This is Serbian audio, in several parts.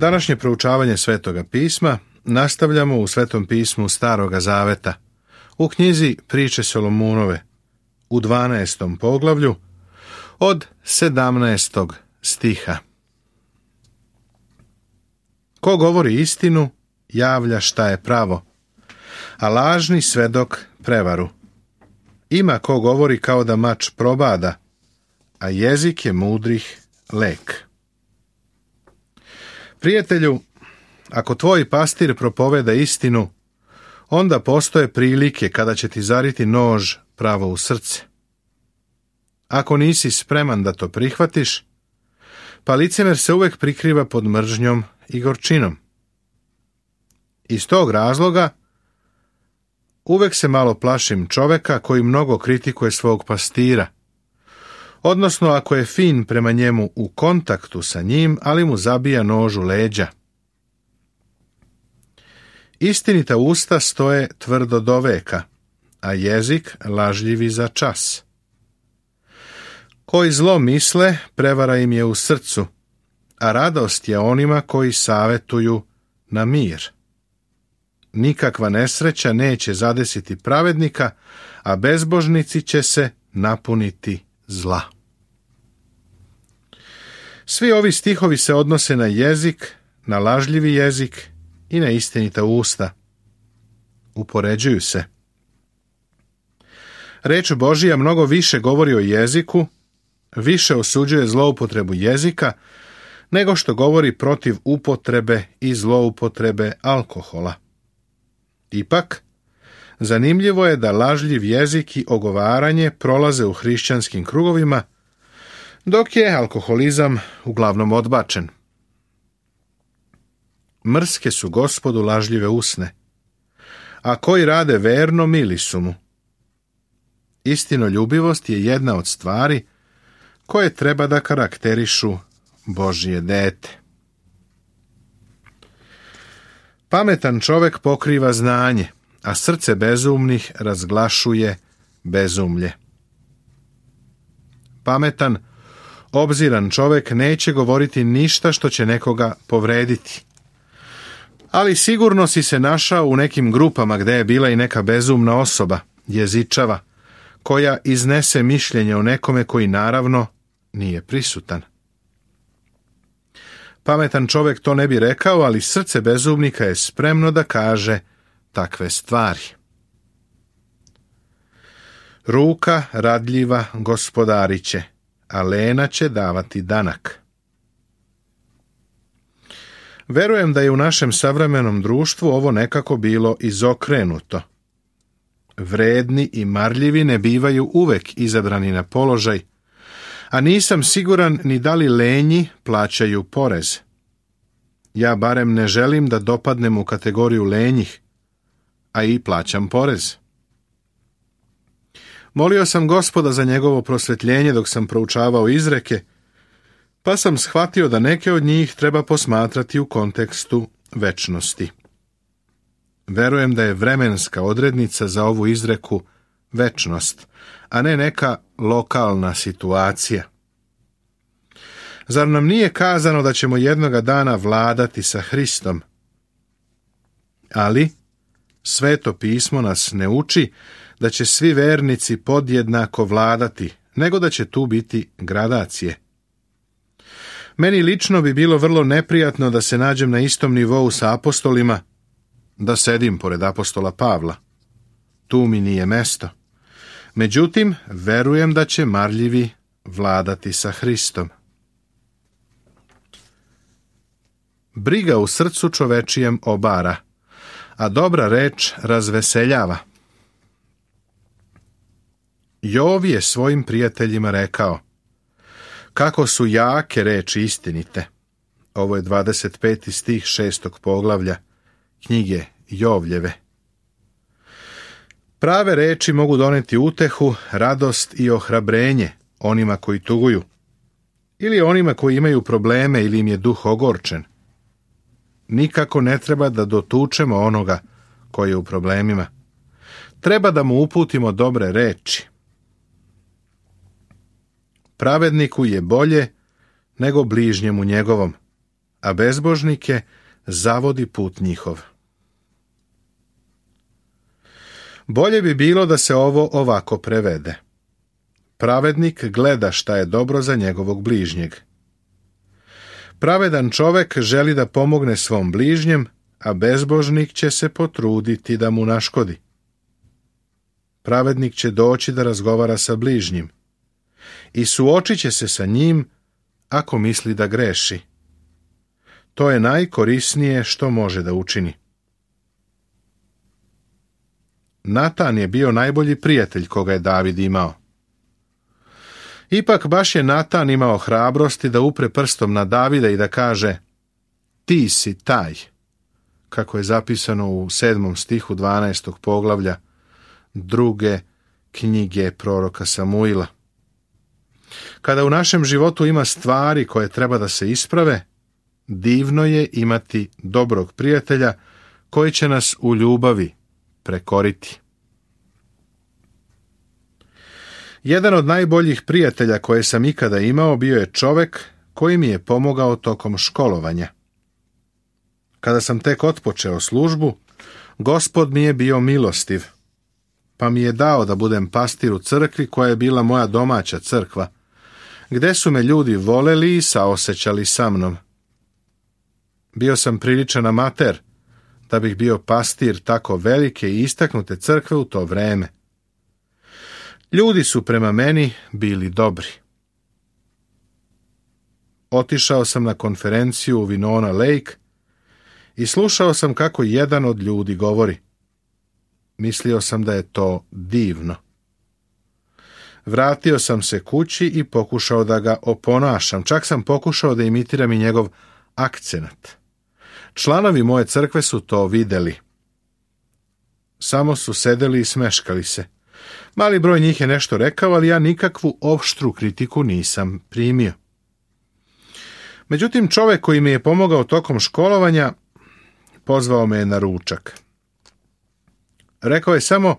Današnje proučavanje Svetoga pisma nastavljamo u Svetom pismu Staroga Zaveta, u knjizi Priče Solomunove, u 12. poglavlju, od 17. stiha. Ko govori istinu, javlja šta je pravo, a lažni svedok prevaru. Ima ko govori kao da mač probada, a jezik je mudrih lek. Prijatelju, ako tvoj pastir propoveda istinu, onda postoje prilike kada će ti zariti nož pravo u srce. Ako nisi spreman da to prihvatiš, pa licemer se uvek prikriva pod mržnjom i gorčinom. Iz tog razloga uvek se malo plašim čoveka koji mnogo kritikuje svog pastira, odnosno ako je fin prema njemu u kontaktu sa njim, ali mu zabija nož u leđa. Istinita usta stoje tvrdo do veka, a jezik lažljivi za čas. Koji zlo misle, prevara im je u srcu, a radost je onima koji savetuju na mir. Nikakva nesreća neće zadesiti pravednika, a bezbožnici će se napuniti zla. Svi ovi stihovi se odnose na jezik, na lažljivi jezik i na istinita usta. Upoređuju se. Reč Božija mnogo više govori o jeziku, više osuđuje zloupotrebu jezika, nego što govori protiv upotrebe i zloupotrebe alkohola. Ipak, zanimljivo je da lažljiv jezik i ogovaranje prolaze u hrišćanskim krugovima, dok je alkoholizam uglavnom odbačen. Mrske su Gospodu lažljive usne, a koji rade verno mili su mu. Istinoljubivost je jedna od stvari koje treba da karakterišu Božje dete. Pametan čovek pokriva znanje, a srce bezumnih razglašuje bezumlje. Pametan, obziran čovek neće govoriti ništa što će nekoga povrediti. Ali sigurno si se našao u nekim grupama gde je bila i neka bezumna osoba, jezičava, koja iznese mišljenje o nekome koji naravno nije prisutan. Pametan čovek to ne bi rekao, ali srce bezumnika je spremno da kaže takve stvari. Ruka radljiva gospodariće, a lena će davati danak. Verujem da je u našem savremenom društvu ovo nekako bilo izokrenuto. Vredni i marljivi ne bivaju uvek izabrani na položaj, a nisam siguran ni da li lenji plaćaju porez. Ja barem ne želim da dopadnem u kategoriju lenjih, a i plaćam porez. Molio sam Gospoda za njegovo prosvetljenje dok sam proučavao izreke, pa sam shvatio da neke od njih treba posmatrati u kontekstu večnosti. Verujem da je vremenska odrednica za ovu izreku večnost, a ne neka lokalna situacija. Zar nam nije kazano da ćemo jednoga dana vladati sa Hristom? Ali Sveto pismo nas ne uči da će svi vernici podjednako vladati, nego da će tu biti gradacije. Meni lično bi bilo vrlo neprijatno da se nađem na istom nivou sa apostolima, da sedim pored apostola Pavla. Tu mi nije mesto. Međutim, verujem da će marljivi vladati sa Hristom. Briga u srcu čovečijem obara, a dobra reč razveseljava. Jov je svojim prijateljima rekao: kako su jake reči istinite. Ovo je 25. stih 6. poglavlja knjige Jovljeve. Prave reči mogu doneti utehu, radost i ohrabrenje onima koji tuguju, ili onima koji imaju probleme ili im je duh ogorčen. Nikako ne treba da dotučemo onoga koji je u problemima. Treba da mu uputimo dobre reči. Pravedniku je bolje nego bližnjemu njegovom, a bezbožnike zavodi put njihov. Bolje bi bilo da se ovo ovako prevede. Pravednik gleda šta je dobro za njegovog bližnjeg. Pravedan čovek želi da pomogne svom bližnjem, a bezbožnik će se potruditi da mu naškodi. Pravednik će doći da razgovara sa bližnjim i suočit će se sa njim ako misli da greši. To je najkorisnije što može da učini. Natan je bio najbolji prijatelj koga je David imao. Ipak baš je Natan imao hrabrosti da upre prstom na Davida i da kaže: ti si taj, kako je zapisano u 7. stihu 12. poglavlja 2. knjige proroka Samuila. Kada u našem životu ima stvari koje treba da se isprave, divno je imati dobrog prijatelja koji će nas u ljubavi prekoriti. Jedan od najboljih prijatelja koje sam ikada imao bio je čovek koji mi je pomogao tokom školovanja. Kada sam tek otpočeo službu, Gospod mi je bio milostiv, pa mi je dao da budem pastir u crkvi koja je bila moja domaća crkva, gde su me ljudi voleli i saosećali sa mnom. Bio sam priličan amater da bih bio pastir tako velike i istaknute crkve u to vreme. Ljudi su prema meni bili dobri. Otišao sam na konferenciju u Winona Lake i slušao sam kako jedan od ljudi govori. Mislio sam da je to divno. Vratio sam se kući i pokušao da ga oponašam. Čak sam pokušao da imitiram i njegov akcenat. Članovi moje crkve su to videli. Samo su sedeli i smeškali se. Mali broj njih je nešto rekao, ali ja nikakvu oštru kritiku nisam primio. Međutim, čovjek koji mi je pomogao tokom školovanja pozvao me na ručak. Rekao je samo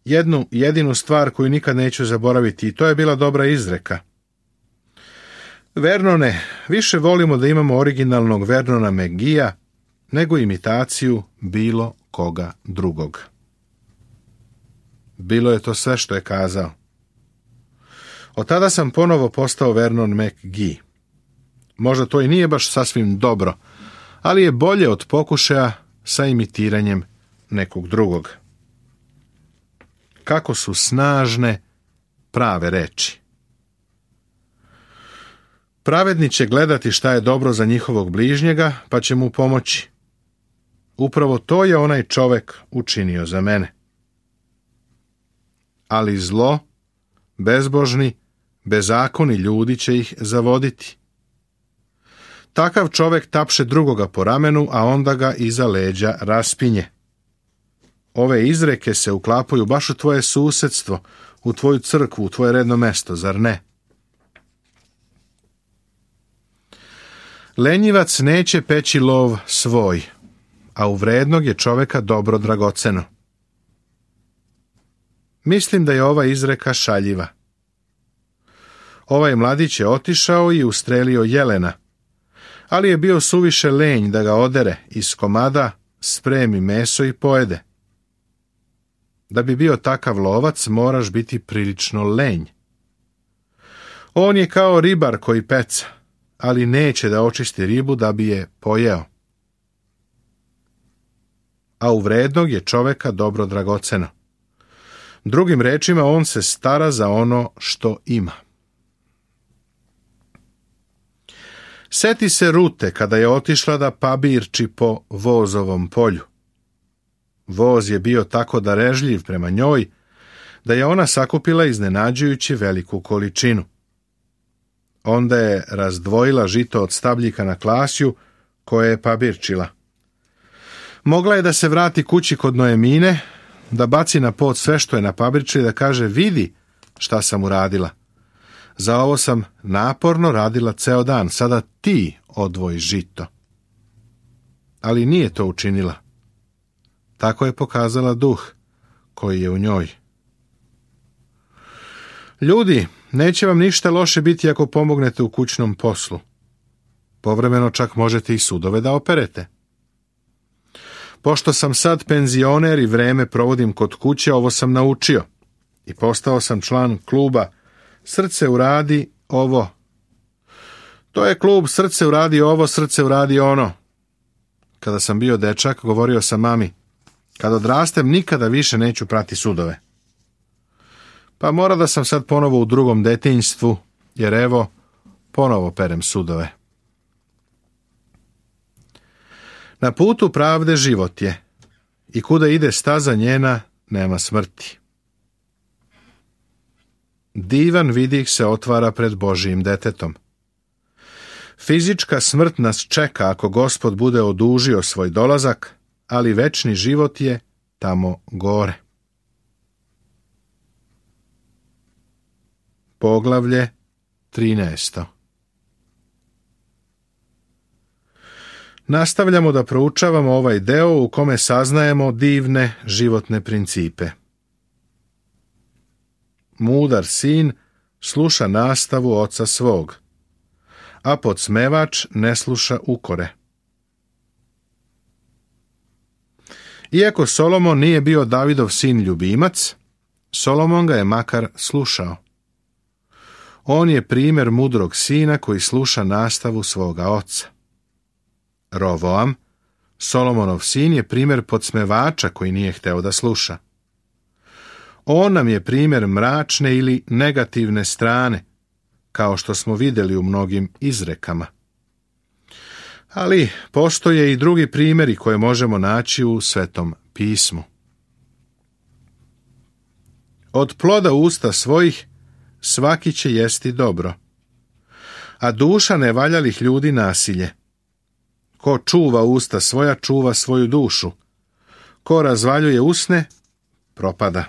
jednu jedinu stvar koju nikad neću zaboraviti i to je bila dobra izreka. Vernone, više volimo da imamo originalnog Vernona McGeea nego imitaciju bilo koga drugog. Bilo je to sve što je kazao. Od tada sam ponovo postao Vernon McGee. Možda to i nije baš sasvim dobro, ali je bolje od pokušaja sa imitiranjem nekog drugog. Kako su snažne prave reči. Pravedni će gledati šta je dobro za njihovog bližnjega, pa će mu pomoći. Upravo to je onaj čovek učinio za mene. Ali zlo, bezbožni, bezakoni ljudi će ih zavoditi. Takav čovek tapše drugoga po ramenu, a onda ga iza leđa raspinje. Ove izreke se uklapaju baš u tvoje susedstvo, u tvoju crkvu, u tvoje redno mesto, zar ne? Lenjivac neće peći lov svoj, a u vrednog je čoveka dobro dragoceno. Mislim da je ova izreka šaljiva. Ovaj mladić je otišao i ustrelio jelena, ali je bio suviše lenj da ga odere iz komada, spremi meso i pojede. Da bi bio takav lovac, moraš biti prilično lenj. On je kao ribar koji peca, ali neće da očisti ribu da bi je pojeo. A u vrednog je čoveka dobro dragoceno. Drugim rečima, on se stara za ono što ima. Seti se Rute kada je otišla da pabirči po vozovom polju. Voz je bio tako darežljiv prema njoj, da je ona sakupila iznenađujući veliku količinu. Onda je razdvojila žito od stabljika na klasju koje je pabirčila. Mogla je da se vrati kući kod Noemine, da baci na pod sve što je napabirčila i da kaže: vidi šta sam uradila. Za ovo sam naporno radila ceo dan, sada ti odvoji žito. Ali nije to učinila. Tako je pokazala duh koji je u njoj. Ljudi, neće vam ništa loše biti ako pomognete u kućnom poslu. Povremeno čak možete i sudove da operete. Pošto sam sad penzioner i vreme provodim kod kuće, ovo sam naučio i postao sam član kluba Srce uradi ovo. To je klub Srce uradi ovo, Srce uradi ono. Kada sam bio dečak, govorio sam mami, kad odrastem nikada više neću prati sudove. Pa mora da sam sad ponovo u drugom detinjstvu, jer evo, ponovo perem sudove. Na putu pravde život je, i kuda ide staza njena, nema smrti. Divan vidih se otvara pred Božijim detetom. Fizička smrt nas čeka ako Gospod bude odužio svoj dolazak, ali večni život je tamo gore. Poglavlje 13. Nastavljamo da proučavamo ovaj deo u kome saznajemo divne životne principe. Mudar sin sluša nastavu oca svog, a podsmevač ne sluša ukore. Iako Solomon nije bio Davidov sin ljubimac, Solomon ga je makar slušao. On je primjer mudrog sina koji sluša nastavu svoga oca. Rovoam, Solomonov sin, je primjer podsmevača koji nije hteo da sluša. On nam je primjer mračne ili negativne strane, kao što smo vidjeli u mnogim izrekama. Ali postoje i drugi primjeri koje možemo naći u Svetom pismu. Od ploda usta svojih svaki će jesti dobro, a duša nevaljalih ljudi nasilje. Ko čuva usta svoja, čuva svoju dušu. Ko razvaljuje usne, propada.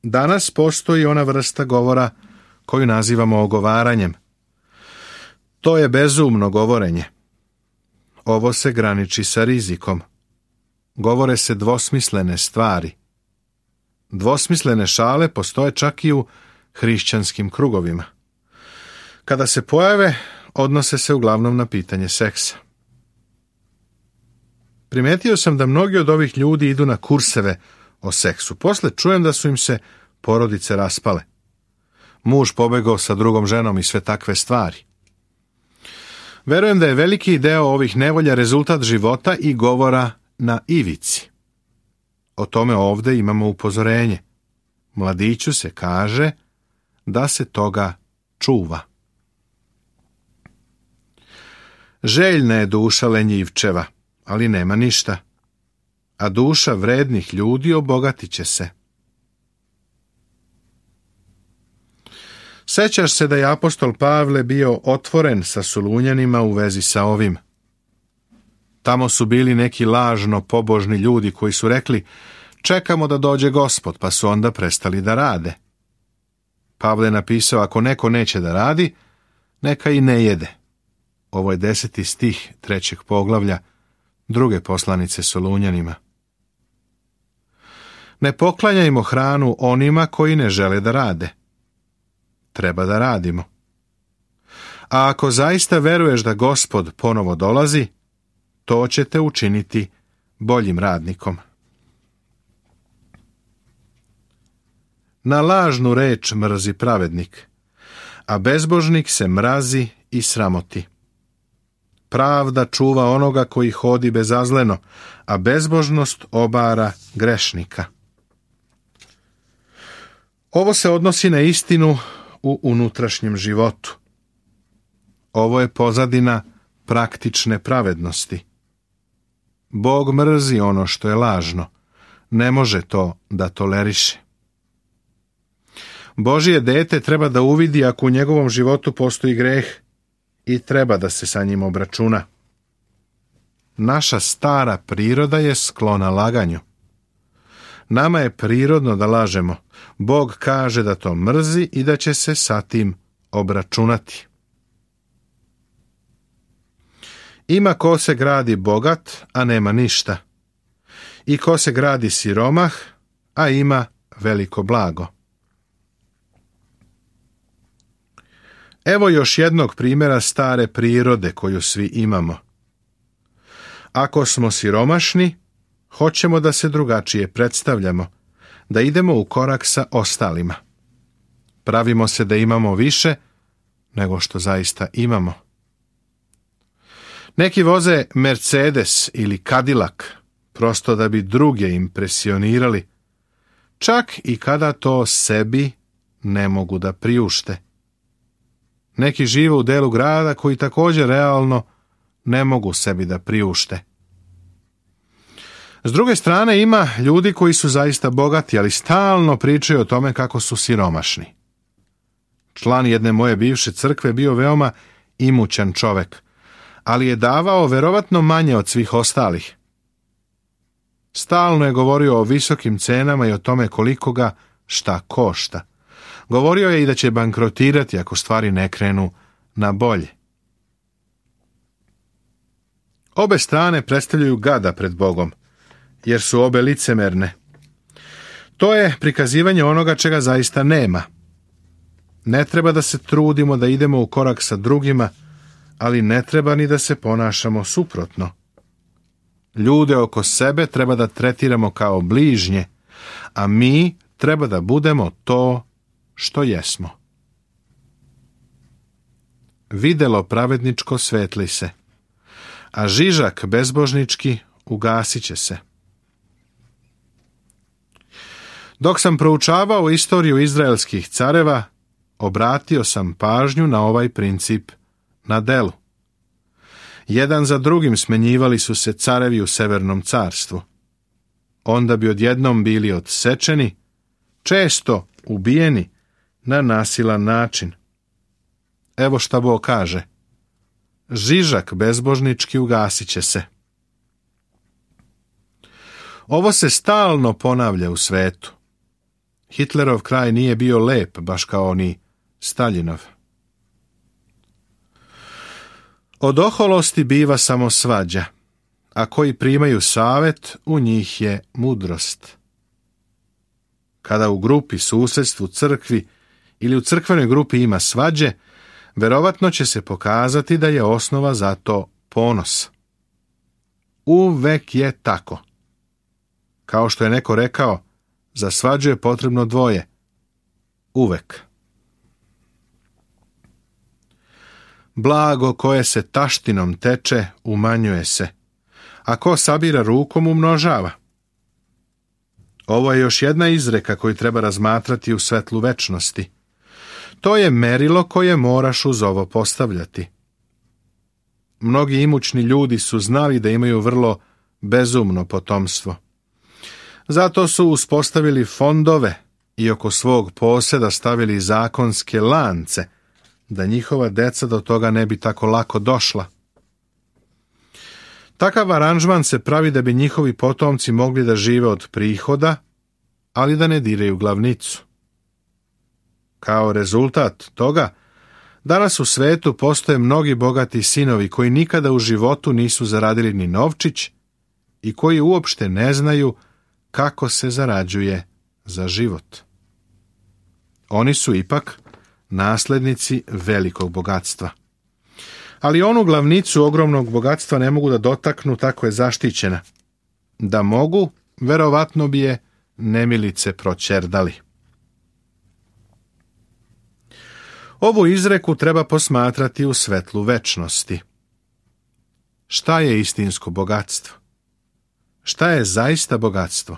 Danas postoji ona vrsta govora koju nazivamo ogovaranjem. To je bezumno govorenje. Ovo se graniči sa rizikom. Govore se dvosmislene stvari. Dvosmislene šale postoje čak i u hrišćanskim krugovima. Kada se pojave, odnose se uglavnom na pitanje seksa. Primetio sam da mnogi od ovih ljudi idu na kurseve o seksu. Posle čujem da su im se porodice raspale. Muž pobegao sa drugom ženom i sve takve stvari. Verujem da je veliki deo ovih nevolja rezultat života i govora na ivici. O tome ovde imamo upozorenje. Mladiću se kaže da se toga čuva. Željna je duša lenjivčeva, ali nema ništa. A duša vrednih ljudi obogatit će se. Sećaš se da je apostol Pavle bio otvoren sa Solunjanima u vezi sa ovim. Tamo su bili neki lažno pobožni ljudi koji su rekli, čekamo da dođe Gospod, pa su onda prestali da rade. Pavle je napisao, ako neko neće da radi, neka i ne jede. Ovo je 10. stih 3. poglavlja 2. poslanice Solunjanima. Ne poklanjajmo hranu onima koji ne žele da rade. Treba da radimo. A ako zaista veruješ da Gospod ponovo dolazi, to će te učiniti boljim radnikom. Na lažnu reč mrzi pravednik, a bezbožnik se mrazi i sramoti. Pravda čuva onoga koji hodi bezazleno, a bezbožnost obara grešnika. Ovo se odnosi na istinu u unutrašnjem životu. Ovo je pozadina praktične pravednosti. Bog mrzi ono što je lažno, ne može to da toleriše. Božje dete treba da uvidi ako u njegovom životu postoji greh i treba da se sa njim obračuna. Naša stara priroda je sklona laganju. Nama je prirodno da lažemo. Bog kaže da to mrzi i da će se sa tim obračunati. Ima ko se gradi bogat, a nema ništa. I ko se gradi siromah, a ima veliko blago. Evo još jednog primjera stare prirode koju svi imamo. Ako smo siromašni, hoćemo da se drugačije predstavljamo, da idemo u korak sa ostalima. Pravimo se da imamo više nego što zaista imamo. Neki voze Mercedes ili Cadillac, prosto da bi druge impresionirali, čak i kada to sebi ne mogu da priušte. Neki žive u delu grada koji također realno ne mogu sebi da priušte. S druge strane ima ljudi koji su zaista bogati, ali stalno pričaju o tome kako su siromašni. Član jedne moje bivše crkve bio veoma imućan čovek, ali je davao verovatno manje od svih ostalih. Stalno je govorio o visokim cenama i o tome koliko ga šta košta. Govorio je i da će bankrotirati ako stvari ne krenu na bolje. Obe strane predstavljaju gada pred Bogom, jer su obe licemerne. To je prikazivanje onoga čega zaista nema. Ne treba da se trudimo da idemo u korak sa drugima, ali ne treba ni da se ponašamo suprotno. Ljude oko sebe treba da tretiramo kao bližnje, a mi treba da budemo to što jesmo. Videlo pravedničko svetli se, a žižak bezbožnički ugasit će se. Dok sam proučavao istoriju izraelskih careva, obratio sam pažnju na ovaj princip na delu. Jedan za drugim smenjivali su se carevi u Severnom carstvu. Onda bi odjednom bili odsečeni, često ubijeni na nasilan način. Evo šta Bog kaže: žižak bezbožnički ugasit će se. Ovo se stalno ponavlja u svetu. Hitlerov kraj nije bio lep, baš kao ni Staljinov. Od oholosti biva samo svađa, a koji primaju savet, u njih je mudrost. Kada u grupi, susjedstvu, crkvi ili u crkvenoj grupi ima svađe, verovatno će se pokazati da je osnova za to ponos. Uvek je tako. Kao što je neko rekao, za svađu je potrebno dvoje. Uvek. Blago koje se taštinom teče, umanjuje se, a ko sabira rukom, umnožava. Ovo je još jedna izreka koju treba razmatrati u svetlu večnosti. To je merilo koje moraš uz ovo postavljati. Mnogi imućni ljudi su znali da imaju vrlo bezumno potomstvo. Zato su uspostavili fondove i oko svog poseda stavili zakonske lance, da njihova deca do toga ne bi tako lako došla. Takav aranžman se pravi da bi njihovi potomci mogli da žive od prihoda, ali da ne diraju glavnicu. Kao rezultat toga, danas u svetu postoje mnogi bogati sinovi koji nikada u životu nisu zaradili ni novčić i koji uopšte ne znaju kako se zarađuje za život. Oni su ipak naslednici velikog bogatstva. Ali onu glavnicu ogromnog bogatstva ne mogu da dotaknu, tako je zaštićena. Da mogu, verovatno bi je nemilice proćerdali. Ovu izreku treba posmatrati u svetlu večnosti. Šta je istinsko bogatstvo? Šta je zaista bogatstvo?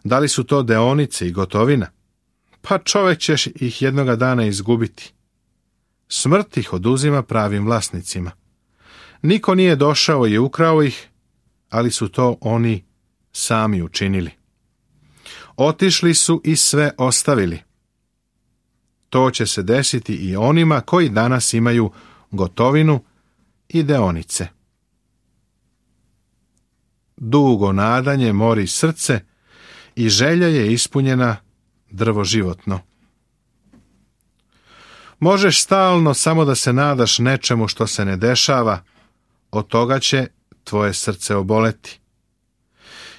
Da li su to deonice i gotovina? Pa čovjek će ih jednoga dana izgubiti. Smrt ih oduzima pravim vlasnicima. Niko nije došao i ukrao ih, ali su to oni sami učinili. Otišli su i sve ostavili. To će se desiti i onima koji danas imaju gotovinu i deonice. Dugo nadanje mori srce i želja je ispunjena drvo životno. Možeš stalno samo da se nadaš nečemu što se ne dešava, od toga će tvoje srce oboleti.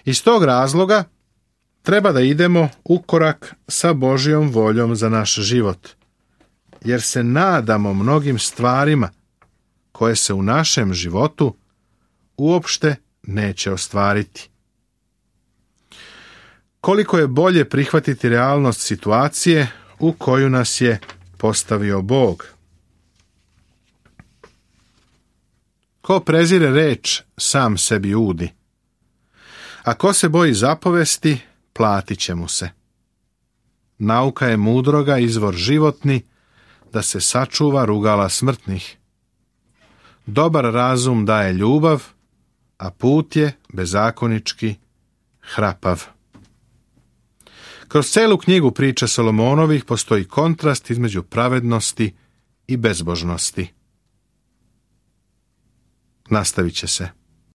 Iz tog razloga treba da idemo u korak sa Božjom voljom za naš život. jer se nadamo mnogim stvarima koje se u našem životu uopšte neće ostvariti. Koliko je bolje prihvatiti realnost situacije u koju nas je postavio Bog. Ko prezire reč, sam sebi udi. A ko se boji zapovesti, platit će mu se. Nauka je mudroga izvor životni, da se sačuva rugala smrtnih. Dobar razum daje ljubav, a put je bezakonički hrapav. Kroz celu knjigu priča Solomonovih postoji kontrast između pravednosti i bezbožnosti. Nastavit će se.